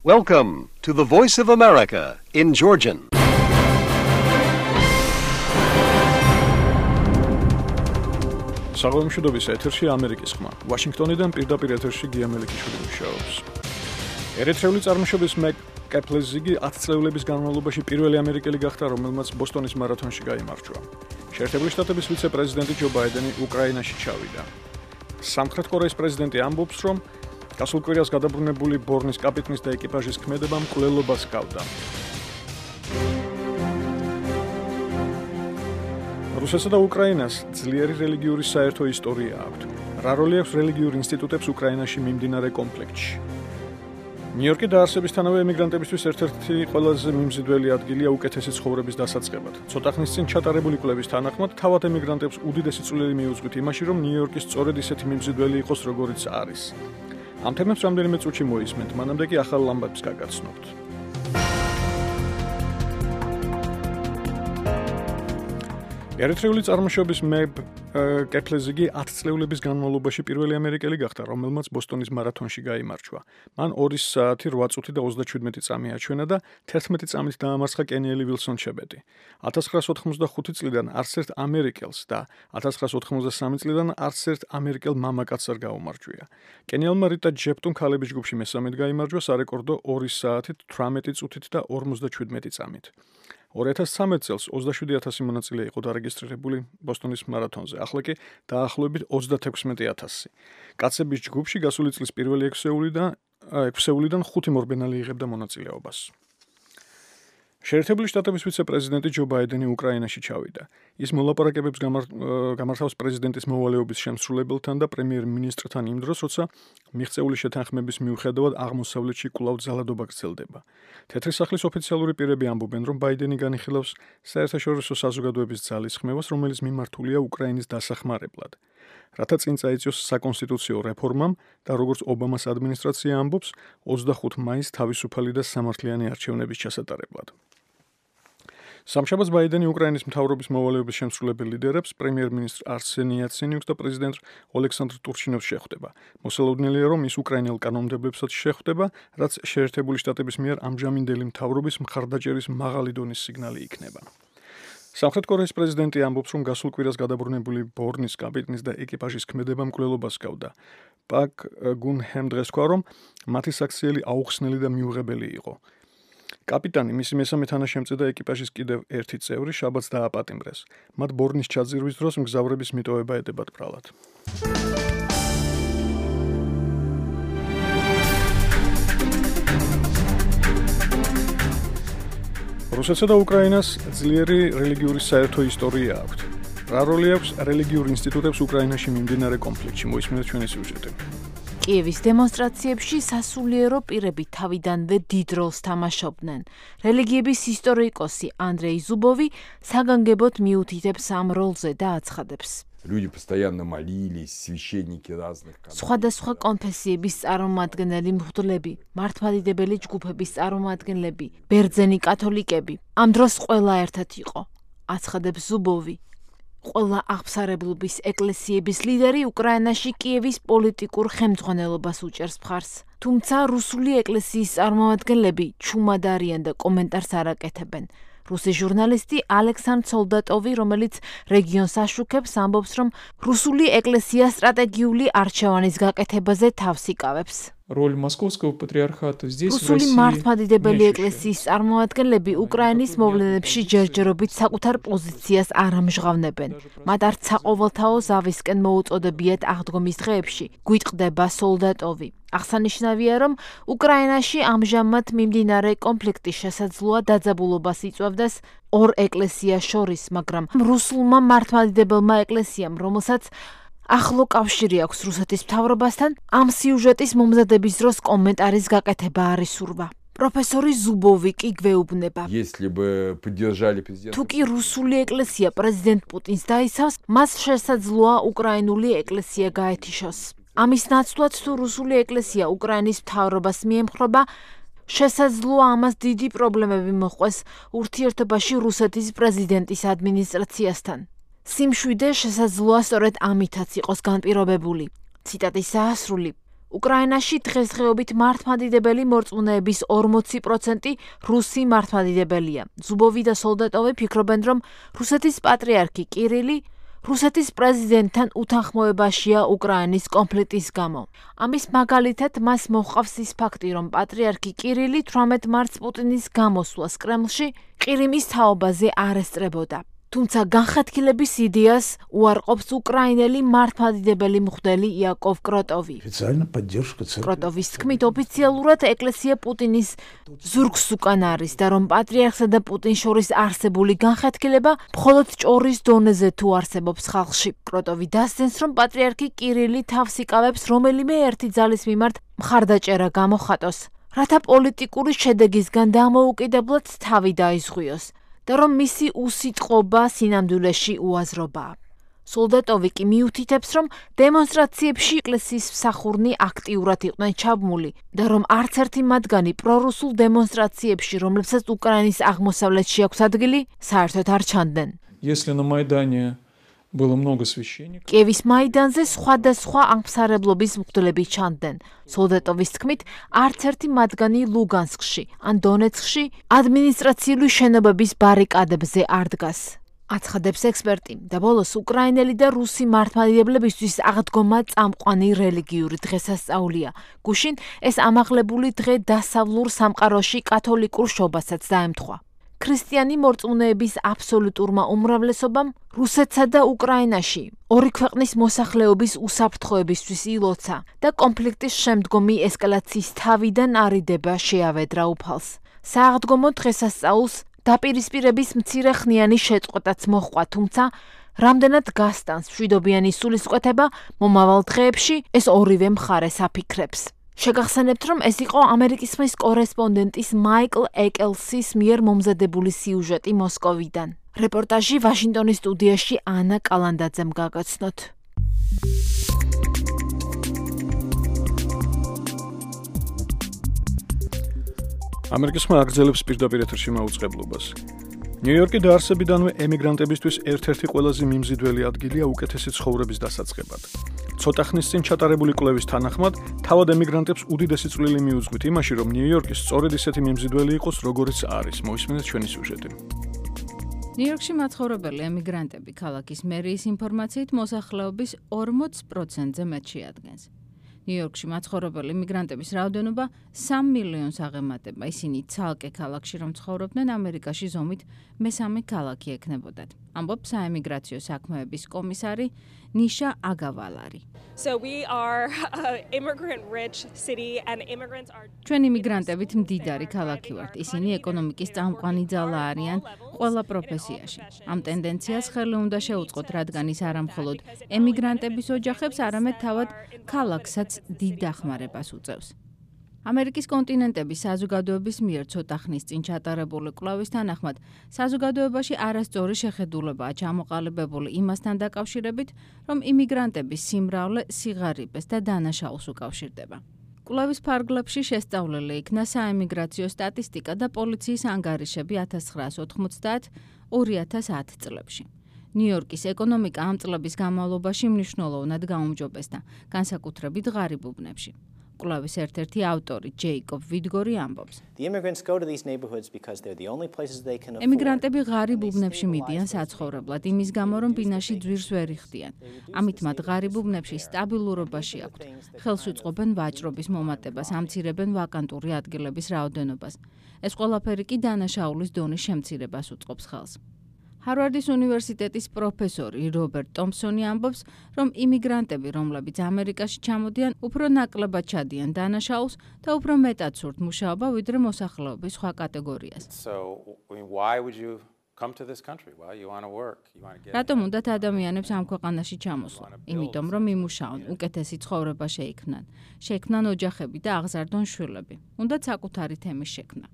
Welcome to the Voice of America in Georgian. საღამოშიდობის ეთერში ამერიკის ხმა. ვაშინგტონიდან პირდაპირ ეთერში გია მელიქიშვილი მუშაობს. ერეთრეული წარმოშობის მეკ კეპლეზიგი 10 წლების განმავლობაში პირველი ამერიკელი გახდა, რომელმაც ბოსტონის მარათონში გაიმარჯვა. შეერთებული შტატების ვიცე-პრეზიდენტი ჯო ბაიდენი უკრაინაში ჩავიდა. სამხრეთ კორეის პრეზიდენტი ამბობს, რომ გასულ კვირას გადაბრუნებული ბორნის კაპიტნის და ეკიპაჟის ქმედებამ მკვლელობას ჰყავდა. რუსეთსა და უკრაინას ძლიერი რელიგიური საერთო ისტორია აქვთ. რა როლი აქვს რელიგიურ ინსტიტუტებს უკრაინაში მიმდინარე კონფლიქტში? ნიუ-იორკი დაარსებისთანავე ემიგრანტებისთვის ერთ-ერთი ყველაზე მიმზიდველი ადგილია უკეთესი ცხოვრების დასაწყებად. ცოტა ხნის წინ ჩატარებული კვლევის თანახმად, თავად ემიგრანტებს უდიდესი წვლილი მიუძღვით იმაში, რომ ნიუ-იორკი სწორედ ისეთი მიმზიდველი იყოს, როგორიც არის. ამ თემებს რამდენიმე წუთში მოისმენთ, მანამდე კი ახალ ამბებს გაგაცნობთ. ერეთრეული წარმოშობის მეკ კეპლეზიგი 10 წლების განმავლობაში პირველი ამერიკელი გახდა, რომელმაც ბოსტონის მარათონში გაიმარჯვა. მან 2 საათი 8 წუთი და 37 წამი აჩვენა და 11 წამით დაამარცხა კენიელი ვილსონ ჩებეტი. 1985 წლიდან არც ერთ ამერიკელს და 1993 წლიდან არც ერთ ამერიკელ მამაკაცს არ გაუმარჯვია. კენიელმა რიტა ჯეპტუნ ქალების ჯგუფში მესამედ გაიმარჯვა სარეკორდო 2 საათით 18 წუთით და 57 წამით. 2013 წელს 27000 მონაწილე იყო დარეგისტრირებული ბოსტონის მარათონზე. ახლა კი დაახლოებით 36000. კაცების ჯგუფში გასული წლის პირველი 6-იდან 5 მორბენალი იღებდა მონაწილეობას. შეერთებული შტატების ვიცე-პრეზიდენტი ჯო ბაიდენი უკრაინაში ჩავიდა. ის მოლაპარაკებებს გამართავს პრეზიდენტის მოვალეობის შემსრულებელთან და პრემიერ-მინისტრთან იმ დროს, როცა მიღწეული შეთანხმების მიუხედავად აღმოსავლეთში კვლავ ძალადობა გრძელდება. თეთრი სახლის ოფიციალური პირები ამბობენ, რომ ბაიდენი განიხილავს საერთაშორისო საზოგადოების ძალისხმევას, რომელიც მიმართულია უკრაინის დასახმარებლად. რათა წინ წაიწიოს საკონსტიტუციო რეფორმამ და როგორც ობამას ადმინისტრაცია ამბობს, 25 მაისს თავისუფალი და სამართლიანი არჩევნების ჩასატარებლად. სამშაბათს ბაიდენი უკრაინის მთავრობის მოვალეობის შემსრულებელ ლიდერებს, პრემიერ-მინისტრ არსენი იაცენიუკს და პრეზიდენტ ოლექსანდრ ტურჩინოვს შეხვდება. მოსალოდნელია, რომ ის უკრაინელ კანონმდებლებსაც შეხვდება, რაც შეერთებული შტატების მიერ ამჟამინდელი მთავრობის მხარდაჭერის მაღალი დონის სიგნალი იქნება. სამხრეთ კორეის პრეზიდენტი ამბობს, რომ გასულ კვირას გადაბრუნებული ბორნის კაპიტნის და ეკიპაჟის ქმედებამ მკვლელობას ჰყავდა. პაკ გუნჰემ დღეს თქვა, რომ მათი საქციელი აუხსნელი და მიუღებელი იყო. კაპიტანი, მისი მესამე თანაშემწე და ეკიპაჟის კიდევ ერთი წევრი შაბათს დააპატიმრეს. მათ ბორნის ჩაძირვის დროს მგზავრების მიტოვება ედებათ ბრალად. რუსეთსა და უკრაინას ძლიერი რელიგიური საერთო ისტორია აქვთ. რა როლი აქვს რელიგიურ ინსტიტუტებს უკრაინაში მიმდინარე კონფლიქტში? მოისმენთ ჩვენი სიუჟეტი. კიევის დემონსტრაციებში სასულიერო პირები თავიდანვე დიდ როლს თამაშობდნენ. რელიგიების ისტორიკოსი ანდრეი ზუბოვი საგანგებოდ მიუთითებს ამ როლზე და აცხადებს. Люди постоянно молились, священники разных каналов. სხვადასხვა კონფესიების წარმომადგენელი მღვდლები, მართლმადიდებელი ჯგუფების წარმომადგენლები, ბერძენი კათოლიკები. ამ დროს ყველა ერთად იყო, აცხადებს ზუბოვი. ყველა აღფსარებლობის ეკლესიების ლიდერი უკრაინაში კიევის პოლიტიკურ ხელმძღვანელობას უჭერს მხარს. თუმცა რუსული ეკლესიის წარმომადგენლები ჩუმად არიან და კომენტარს არ აკეთებენ. რუსი ჟურნალისტი ალექსანდრ სოლდატოვი, რომელიც რეგიონს აშუქებს, ამბობს, რომ რუსული ეკლესია სტრატეგიული არჩევანის გაკეთებაზე თავს იკავებს. Роль московского патриархата здесь в რუსული России მართლმადიდებელი ეკლესიის წარმომადგენლები უკრაინის მოვლენებში ჯერჯერობით საკუთარ პოზიციას არ ამჟღავნებენ. მათ არც საყოველთაო ზავისკენ მოუწოდებიათ აღდგომის დღეებში, გვიტყდება სოლდატოვი. აღსანიშნავია, რომ უკრაინაში ამჟამად მიმდინარე კონფლიქტი შესაძლოა დაძაბულობას იწვევდეს ორ ეკლესიას შორის, მაგრამ რუსულმა მართლმადიდებელმა ეკლესიამ, რომელსაც ახლო კავშირი აქვს რუსეთის მთავრობასთან, ამ სიუჟეტის მომზადების დროს კომენტარის გაკეთება არ ისურვა. პროფესორი ზუბოვი კი გვეუბნება. თუ კი რუსული ეკლესია პრეზიდენტ პუტინს დაიცავს, მას შესაძლოა უკრაინული ეკლესია გაეთიშოს. ამის ნაცვლად, თუ რუსული ეკლესია უკრაინის მთავრობას მიემხრობა, შესაძლოა ამას დიდი პრობლემები მოჰყვეს ურთიერთობაში რუსეთის პრეზიდენტის ადმინისტრაციასთან. სიმშვიდე შესაძლოა სწორედ ამითაც იყოს განპირობებული. ციტატის საასრული უკრაინაში დღესდღეობით მართლმადიდებელი მორწმუნეების 40% რუსი მართლმადიდებელია. ზუბოვი და სოლდატოვი ფიქრობენ, რომ რუსეთის პატრიარქი კირილი რუსეთის პრეზიდენტთან უთანხმოებაშია უკრაინის კონფლიქტის გამო. ამის მაგალითად მას მოჰყავს ის ფაქტი, რომ პატრიარქი კირილი 18 მარტს პუტინის გამოსვლას კრემლში ყირიმის თაობაზე არ ესწრებოდა. თუმცა განხეთქილების იდეას უარყოფს უკრაინელი მართლმადიდებელი მღვდელი იაკოვ კროტოვი. კროტოვის თქმით, ოფიციალურად ეკლესია პუტინის ზურგს უკან არის და რომ პატრიარხსა და პუტინს შორის არსებული განხეთქილება მხოლოდ ჭორის დონეზე თუ არსებობს ხალხში. კროტოვი დასძენს, რომ პატრიარქი კირილი თავს იკავებს რომელიმე ერთი ძალის მიმართ მხარდაჭერა გამოხატოს, რათა პოლიტიკური შედეგისგან დამოუკიდებლად თავი დაიზღვიოს. და რომ მისი უსიტყვობა სინამდვილეში უაზრობაა. სოლდატოვი კი მიუთითებს, რომ დემონსტრაციებში ეკლესიის მსახურნი აქტიურად იყვნენ ჩაბმული და რომ არც ერთი მათგანი პრორუსულ დემონსტრაციებში, რომლებსაც უკრაინის აღმოსავლეთში აქვს ადგილი, საერთოდ არ ჩანდნენ. Если на Майдане было много священников. კიევის მაიდანზე სხვადასხვა აღმსარებლობის მღვდლები ჩანდნენ. სოლდატოვის თქმით, არც ერთი მათგანი ლუგანსკში ან დონეცკში ადმინისტრაციული შენობების ბარიკადებზე არ დგას. აცხადებს ექსპერტი და ბოლოს უკრაინელი და რუსი მართლმადიდებლებისთვის აღდგომა წამყვანი რელიგიური დღესასწაულია. გუშინ ეს ამაღლებული დღე დასავლურ სამყაროში კათოლიკურ შობასაც დაემთხვა. ქრისტიანი მორწმუნეების აბსოლუტურმა უმრავლესობამ რუსეთსა და უკრაინაში ორი ქვეყნის მოსახლეობის უსაფრთხოებისთვის ილოცა და კონფლიქტის შემდგომი ესკალაციის თავიდან არიდება შეავედრა უფალს. სააღდგომო დღესასწაულს დაპირისპირების მცირეხნიანი შეწყვეტაც მოჰყვა, თუმცა რამდენად გასტანს მშვიდობიანი სულისკვეთება მომავალ დღეებში ეს ორივე მხარეს აფიქრებს. შეგახსენებთ, რომ ეს იყო ამერიკის ხმის კორესპონდენტის მაიკლ ეკელსის მიერ მომზადებული სიუჟეტი მოსკოვიდან. რეპორტაჟი ვაშინგტონის სტუდიაში ანა კალანდაძემ გაგაცნოთ. ამერიკის ხმა აგრძელებს პირდაპირ ეთერში მაუწყებლობას. ნიუ-იორკი დაარსებიდანვე ემიგრანტებისთვის ერთ-ერთი ყველაზე მიმზიდველი ადგილია უკეთესი ცხოვრების დასაწყებად. ცოტა ხნის წინ ჩატარებული კვლევის თანახმად, თავად ემიგრანტებს უდიდესი წვლილი მიუძღვით იმაში, რომ ნიუ-იორკი სწორედ ისეთი მიმზიდველი იყოს, როგორიც არის. მოისმინეთ ჩვენი სიუჟეტი. ნიუ-იორკში მაცხოვრებელი ემიგრანტები ქალაქის მერიის ინფორმაციით მოსახლეობის 40%-ზე მეტში ადგენს. ნიუ-იორკში მაცხოვრებელი ემიგრანტების რაოდენობა 3 მილიონს აღემატება. ისინი ცალკე ქალაქში რომ ცხოვრობდნენ, ამერიკაში ზომით მესამე ქალაქი ექნებოდათ. ამბობს საემიგრაციო საქმეების კომისარი ნიშა აგავალარი. ჩვენ იმიგრანტებით მდიდარი ქალაქი ვართ. ისინი ეკონომიკის წამყვანი ძალა არიან ყველა პროფესიაში. ამ ტენდენციას ხელი უნდა შეუწყოთ, რადგან ის არა მხოლოდ ემიგრანტების ოჯახებს, არამედ თავად ქალაქსაც დიდ დახმარებას უწევს. ამერიკის კონტინენტების საზოგადოების მიერ ცოტა ხნის წინ ჩატარებული კვლევის თანახმად, საზოგადოებაში არასწორი შეხედულებაა ჩამოყალიბებული იმასთან დაკავშირებით, რომ იმიგრანტების სიმრავლე სიღარიბეს და დანაშაულს უკავშირდება. კვლევის ფარგლებში შესწავლილი იქნა საემიგრაციო სტატისტიკა და პოლიციის ანგარიშები 1990-2010 წლებში. ნიუ-იორკის ეკონომიკა ამ წლების განმავლობაში მნიშვნელოვნად გაუმჯობესდა, განსაკუთრებით ღარიბ უბნებში. კვლევის ერთ-ერთი ავტორი ჯეიკობ ვიტგორი ამბობს. ემიგრანტები ღარიბ უბნებში მიდიან საცხოვრებლად იმის გამო, რომ ბინაში ძვირს ვერ იხდიან. ამით მათ ღარიბ უბნებში სტაბილურობაში აქვთ. ხელს უწყობენ ვაჭრობის მომატებას, ამცირებენ ვაკანტური ადგილების რაოდენობას. ეს ყველაფერი კი დანაშაულის დონის შემცირებას უწყობს ხელს. ჰარვარდის უნივერსიტეტის პროფესორი რობერტ ტომპსონი ამბობს, რომ იმიგრანტები, რომლებიც ამერიკაში ჩამოდიან, უფრო ნაკლებად ჩადიან დანაშაულს და უფრო მეტად სურთ მუშაობა, ვიდრე მოსახლეობის სხვა კატეგორიას. რატომ უნდათ ადამიანებს ამ ქვეყანაში ჩამოსვლა? იმიტომ, რომ იმუშაონ, უკეთესი ცხოვრება შეიქმნან, შექმნან ოჯახები და აღზარდონ შვილები. უნდათ საკუთარი თემის შექმნა.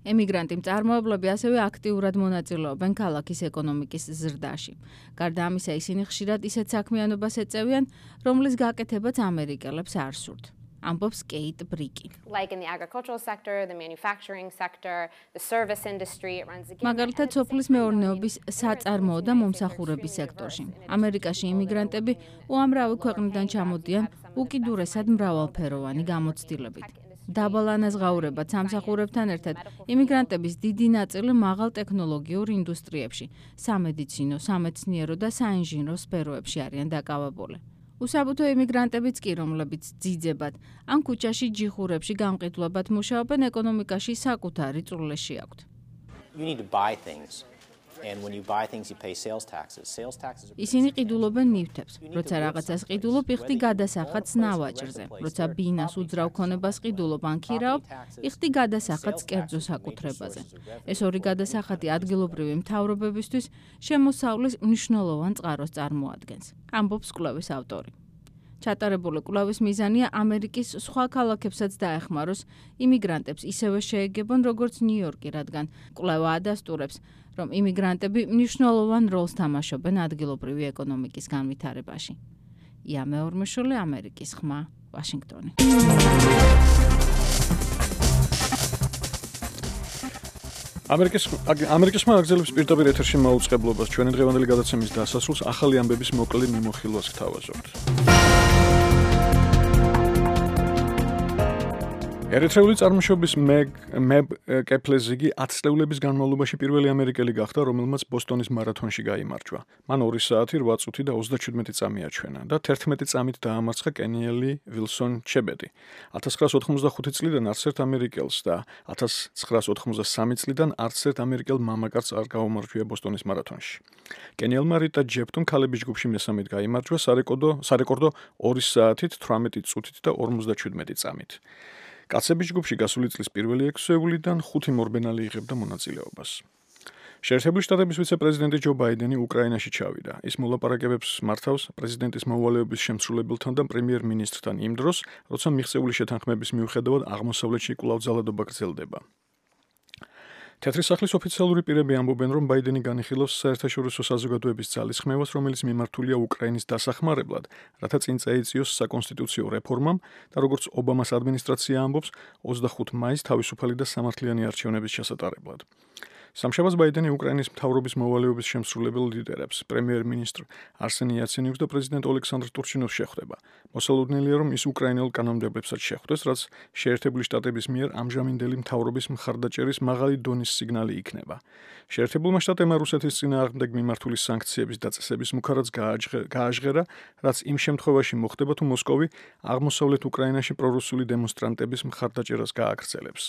ემიგრანტი მწარმოებლები ასევე აქტიურად მონაწილეობენ ქალაქის ეკონომიკის ზრდაში. გარდა ამისა, ისინი ხშირად ისეთ საქმიანობას ეწევიან, რომლის გაკეთებაც ამერიკელებს არ სურთ. ამბობს კეიტ ბრიკი. Like in the agricultural sector, the manufacturing sector, the service industry, it runs the gamut. მაგალითად, სოფლის მეურნეობის საწარმოო და მომსახურების სექტორში. ამერიკაში იმიგრანტები უამრავი ქვეყნიდან ჩამოდიან უკიდურესად მრავალფეროვანი გამოცდილებით. დაბალ ანაზღაურებად სამსახურებთან ერთად იმიგრანტების დიდი ნაწილი მაღალ ტექნოლოგიურ ინდუსტრიებში, სამედიცინო, სამეცნიერო და საინჟინრო სფეროებში არიან დაკავებული. უსაბუთო იმიგრანტებიც კი, რომლებიც ძიძებად ან ქუჩაში ჯიხურებში გამყიდვლებად მუშაობენ, ეკონომიკაში საკუთარი წვლილში აქვთ. You need to buy things. And when you buy things, you pay sales taxes. Sales taxes are ისინი ყიდულობენ ნივთებს. როცა რაღაცას ყიდულობ, იხდი გადასახადს ნავაჭრზე. როცა ბინას უძრავ ქონებას ყიდულობ ან ქირაობ, იხდი გადასახადს კერძო საკუთრებაზე. ეს ორი გადასახადი ადგილობრივი მთავრობებისთვის შემოსავლის მნიშვნელოვან წყაროს წარმოადგენს. ამბობს კვლევის ავტორი. ჩატარებული კვლევის მიზანია ამერიკის სხვა ქალაქებსაც დაეხმაროს იმიგრანტებს ისევე შეეგებონ როგორც ნიუ-იორკი, რადგან კვლევა ადასტურებს, რომ იმიგრანტები მნიშვნელოვან როლს თამაშობენ ადგილობრივი ეკონომიკის განვითარებაში. ია მეორმეშული, ამერიკის ხმა, ვაშინგტონი. ამერიკის ხმა აგზელებს პირდაპირ ეთერში მაუწყებლობას. ჩვენი დღევანდელი გადაცემის დასასრულს ახალი ამბების მოკლე მიმოხილვას გთავაზობთ. ერითრეული წარმოშობის მებ კეპლეზიგი 10 წლების განმავლობაში პირველი ამერიკელი გახდა, რომელმაც ბოსტონის მარათონში გაიმარჯვა. მან 2 საათი 8 წუთი და 37 წამი აჩვენა და 11 წამით დაამარცხა კენიელი ვილსონ ჩებეტი. 1985 წლიდან არც ერთ ამერიკელს და 1983 წლიდან არც ერთ ამერიკელ მამაკაცს არ გაუმარჯვია ბოსტონის მარათონში. კენიელმა რიტა ჯეპტომ ქალების ჯგუფში მესამედ გაიმარჯვა სარეკორდო 2 საათით 18 წუთით და 57 წამით. კაცების ჯგუფში გასული წლის პირველი 6 ეულიდან 5 მორბენალი იღებდა მონაწილეობას. შეერთებული შტატების ვიცე-პრეზიდენტი ჯო ბაიდენი უკრაინაში ჩავიდა. ის მოლაპარაკებებს მართავს პრეზიდენტის მოვალეობის შემსრულებელთან და პრემიერ-მინისტრთან იმ დროს, როცა მიღწეული შეთანხმების მიუხედავად აღმოსავლეთში კვლავ ძალადობა გრძელდება. თეთრი სახლის ოფიციალური პირები ამბობენ, რომ ბაიდენი განიხილავს საერთაშორისო საზოგადოების ძალისხმევას, რომელიც მიმართულია უკრაინის დასახმარებლად, რათა წინ წაეწიოს საკონსტიტუციო რეფორმამ და როგორც ობამას ადმინისტრაცია ამბობს, 25 მაისს თავისუფალი და სამართლიანი არჩევნების ჩასატარებლად. სამშაბათს ბაიდენი უკრაინის მთავრობის მოვალეობის შემსრულებელ ლიდერებს, პრემიერ-მინისტრ არსენი იაცენიუქს და პრეზიდენტ ოლექსანდრ ტურჩინოვს შეხვდება. მოსალოდნელია, რომ ის უკრაინელ კანონმდებლებსაც შეხვდეს, რაც შეერთებული შტატების მიერ ამჟამინდელი მთავრობის მხარდაჭერის მაღალი დონის სიგნალი იქნება. შეერთებულმა შტატებმა რუსეთის წინააღმდეგ მიმართული სანქციების დაწესების მუქარაც გააჟღერა, რაც იმ შემთხვევაში მოხდება, თუ მოსკოვი აღმოსავლეთ უკრაინაში პრორუსული დემონსტრანტების მხარდაჭერას გააგრძელებს.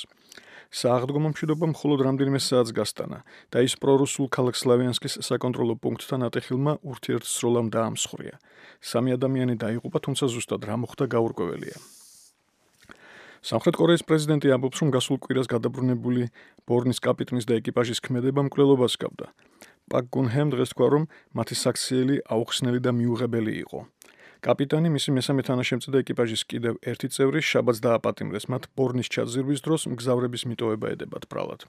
სააღდგომო მშვიდობა მხოლოდ რამდენიმე საათს გასტანა და ის პრორუსულ ქალაქ სლავიანსკის საკონტროლო პუნქტთან ატეხილმა ურთიერთსროლამ დაამსხვრია. 3 ადამიანი დაიღუპა, თუმცა ზუსტად რა მოხდა გაურკვეველია. სამხრეთ კორეის პრეზიდენტი ამბობს, რომ გასულ კვირას გადაბრუნებული ბორნის კაპიტნის და ეკიპაჟის ქმედება მკვლელობას ჰგავდა. პაკ გუნჰემ დღეს თქვა, რომ მათი საქციელი აუხსნელი და მიუღებელი იყო. კაპიტანი, მისი მესამე თანაშემწე და ეკიპაჟის კიდევ ერთი წევრი შაბათს დააპატიმრეს. მათ ბორნის ჩაძირვის დროს მგზავრების მიტოვება ედებათ ბრალად.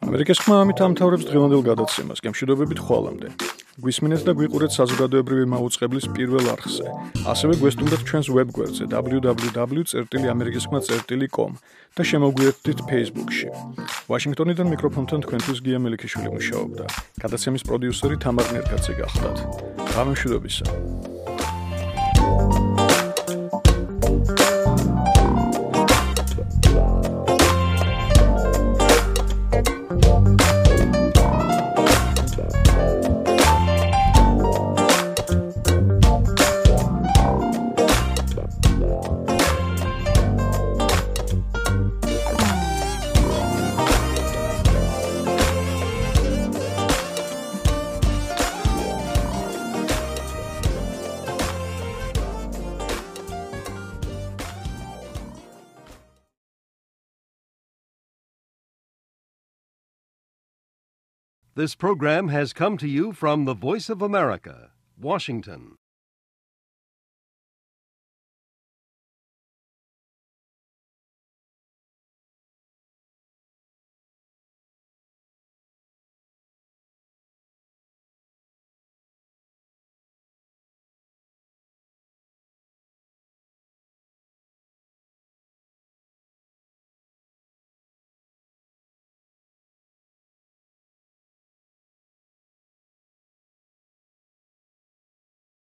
ამერიკის ხმა ამით ამთავრებს დღევანდელ გადაცემას. გემშვიდობებით ხვალამდე. გვისმინეთ და გვიყურეთ საზოგადოებრივი მაუწყებლის პირველ არხზე. ასევე გვესტუმრეთ ჩვენს ვებგვერდზე www.amerikiskhma.com და შემოგვიერთდით Facebook-ში. ვაშინგტონიდან მიკროფონთან თქვენთვის გია მელიქიშვილი მუშაობდა. გადაცემის პროდიუსერი თამარ ნერგაძე გახლდათ. გამშვიდობისა. This program has come to you from the Voice of America, Washington.